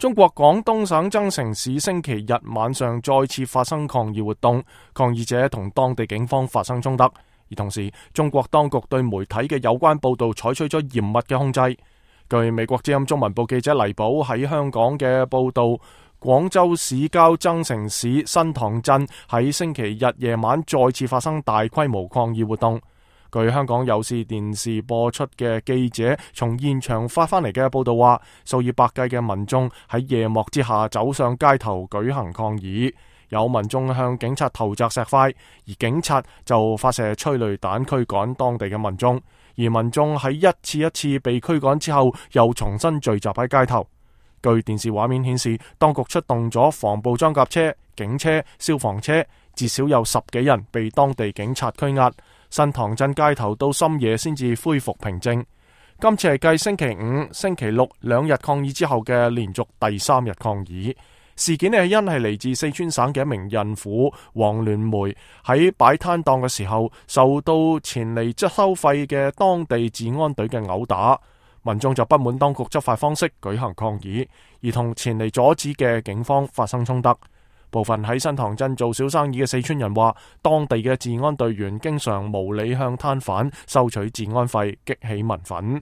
中國廣東省增城市星期日晚上再次發生抗議活動，抗議者同當地警方發生衝突，而同時中國當局對媒體嘅有關報道採取咗嚴密嘅控制。據美國之音中文部記者黎寶喺香港嘅報道，廣州市郊增城市新塘鎮喺星期日夜晚再次發生大規模抗議活動。據香港有線電視播出嘅記者從現場發返嚟嘅報道話，數以百計嘅民眾喺夜幕之下走上街頭舉行抗議，有民眾向警察投擲石塊，而警察就發射催淚彈驅趕當地嘅民眾，而民眾喺一次一次被驅趕之後又重新聚集喺街頭。據電視畫面顯示，當局出動咗防暴裝甲車、警車、消防車，至少有10幾人被當地警察拘押。新塘鎮街頭到深夜先至恢復平靜。今次係繼星期五、星期六2日抗議之後嘅連續第3日抗議。事件係嚟自四川省嘅一名孕婦黃聯梅喺擺攤檔嘅時候，受到前嚟收費嘅當地治安隊嘅毆打，民眾就不滿當局執法方式舉行抗議，而同前嚟阻止嘅警方發生衝突。部分喺新塘鎮做小生意嘅四川人話，當地嘅治安隊員經常無理向攤販收取治安費，激起民憤。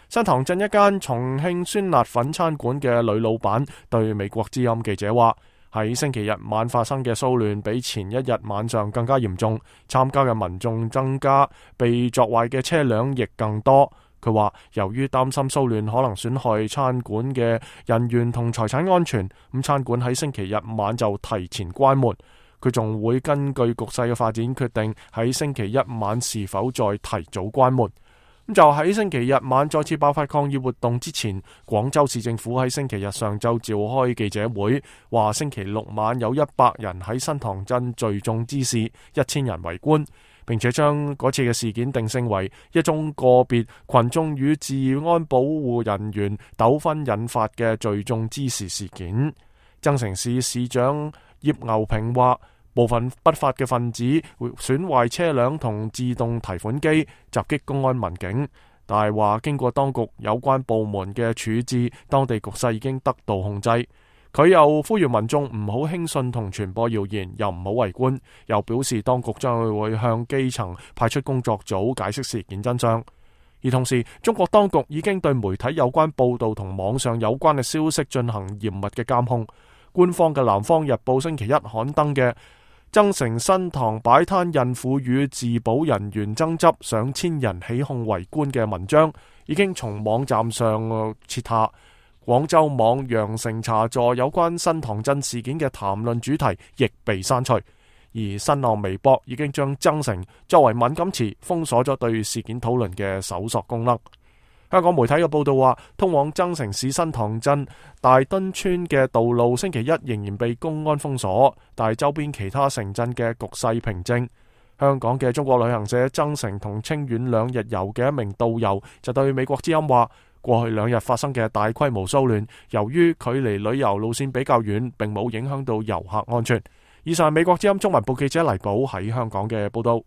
新塘鎮一間重慶酸辣粉餐館嘅女老闆對美國之音記者話，喺星期日晚發生嘅騷亂比前一日晚上更加嚴重，參加嘅民眾增加，被鑿壞嘅車輛亦更多。佢話由於擔心騷亂可能損害餐館嘅人員同財產安全，咁餐館喺星期日晚就提前關門。佢仲會根據局勢嘅發展決定喺星期一晚是否再提早關門。咁就喺星期日晚再次爆發抗議活動之前，廣州市政府喺星期日上晝召開記者會，話星期六晚有100人喺新塘鎮聚眾滋事，1000人圍觀，並且將嗰次嘅事件定性為一宗個別群眾與治安保護人員糾紛引發嘅聚眾滋事事件。增城市市長葉牛平話，部分不法嘅分子會損壞車輛同自動提款機，襲擊公安民警，但係話經過當局有關部門嘅處置，當地局勢已經得到控制。佢又呼籲民眾唔好輕信同傳播謠言，又唔好圍觀，又表示當局將會向基層派出工作組解釋事件真相。而同時，中國當局已經對媒體有關報道同網上有關嘅消息進行嚴密嘅監控。官方嘅《南方日報》星期一刊登嘅增城新塘擺攤孕婦與自保人員爭執，上千人起哄圍觀嘅文章，已經從網站上撤下。廣州網羊城茶座有關新塘鎮事件嘅談論主題亦被刪除，而新浪微博已經將增城作為敏感詞封鎖咗對事件討論嘅搜索功能。香港媒體嘅報道話，通往增城市新塘鎮大墩村嘅道路星期一仍然被公安封鎖，但係周邊其他城鎮嘅局勢平靜。香港嘅中國旅行社增城同清遠2日遊嘅一名導遊就對美國之音話，過去2日發生嘅大規模騷亂，由於距離旅遊路線比較遠，並冇影響到遊客安全。以上係美國之音中文部記者黎寶喺香港嘅報道。